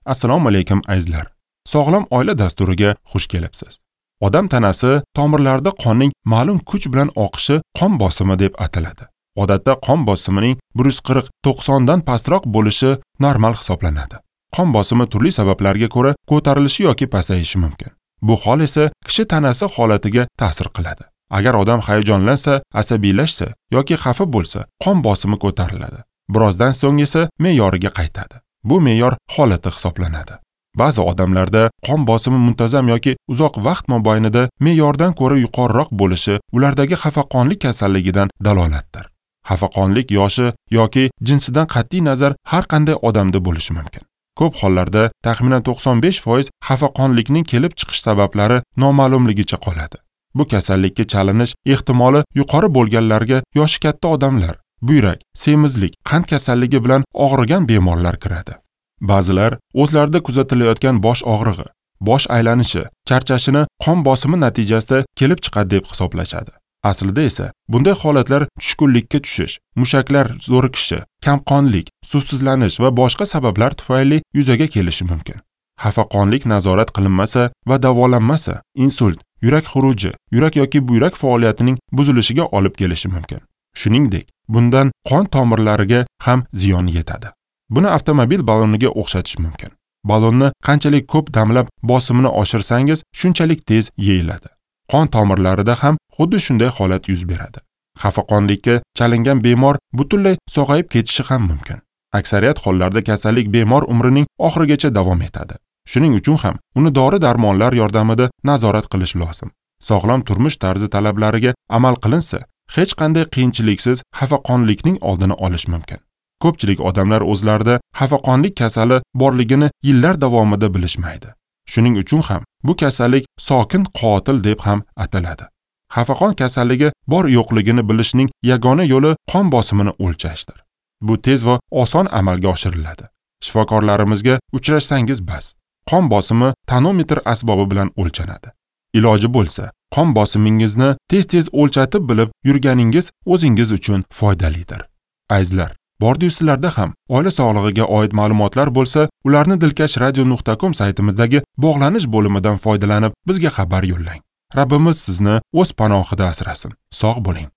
Assalomu alaykum azizlar. Sog'lom oila dasturiga xush kelibsiz. Odam tanasi tomirlarida qonning ma'lum kuch bilan oqishi qon bosimi deb ataladi. Odatda qon bosimining 140-90 dan pastroq bo'lishi normal hisoblanadi. Qon bosimi turli sabablarga ko'ra ko'tarilishi yoki pasayishi mumkin. Bu hol esa kishi tanasi holatiga ta'sir qiladi. Agar odam hayajonlansa, asabiylashsa yoki xafa bo'lsa, qon bosimi ko'tariladi. Birozdan so'ng esa me'yoriga qaytadi. Bu me'yor holati hisoblanadi. Ba'zi odamlarda qon bosimi muntazam yoki uzoq vaqt mobaynida me'yordan ko'ra yuqoriroq bo'lishi ulardagi xafaqonlik kasalligidan dalolatdir. Xafaqonlik yoshi yoki jinsidan qat'iy nazar har qanday odamda bo'lishi mumkin. Ko'p hollarda taxminan 95% xafaqonlikning kelib chiqish sabablari noma'lumligicha qoladi. Bu kasallikka chalinish ehtimoli yuqori bo'lganlarga yoshi katta odamlar, buyrak, semizlik, qand kasalligi bilan og'rigan bemorlar kiradi. Ba'zilar o'zlarida kuzatilayotgan bosh og'rig'i, bosh aylanishi, charchashini qon bosimi natijasida kelib chiqadi deb hisoblashadi. Aslida esa bunday holatlar tushkunlikka tushish, mushaklar zo'riqishi, kamqonlik, suvsizlanish va boshqa sabablar tufayli yuzaga kelishi mumkin. Xafaqonlik nazorat qilinmasa va davolanmasa, insult, yurak xuruji, yurak yoki buyrak faoliyatining buzilishiga olib kelishi mumkin. Shuningdek, bundan qon tomirlariga ham ziyon yetadi. Buni avtomobil balloniga o'xshatish mumkin. Ballonni qanchalik ko'p damlab bosimini oshirsangiz, shunchalik tez yeyiladi. Qon tomirlarida ham xuddi shunday holat yuz beradi. Xafaqonlikka chalingan bemor butunlay sog'ayib ketishi ham mumkin. Aksariyat hollarda kasallik bemor umrining oxirigacha davom etadi. Shuning uchun ham uni dori-darmonlar yordamida nazorat qilish lozim. Sog'lom turmush tarzi talablariga amal qilinsa, hech qanday qiyinchiliksiz xafaqonlikning oldini olish mumkin. Ko'pchilik odamlar o'zlarida xafaqonlik kasali borligini yillar davomida bilishmaydi. Shuning uchun ham bu kasallik sokin qotil deb ham ataladi. Xafaqon kasalligi bor yo'qligini bilishning yagona yo'li qon bosimini o'lchashdir. Bu tez va oson amalga oshiriladi. Shifokorlarimizga uchrashsangiz bas. Qon bosimi tonometr asbobi bilan o'lchanadi. Iloji bo'lsa, qon bosimingizni tez-tez o'lchatib bilib yurganingiz o'zingiz uchun foydalidir. Azizlar, bordi-yu sizlarda ham oila sog'lig'iga oid ma'lumotlar bo'lsa, ularni dilkashradio.com saytimizdagi bog'lanish bo'limidan foydalanib bizga xabar yo'llang. Rabbimiz sizni o'z panohida asrasin. Sog' bo'ling.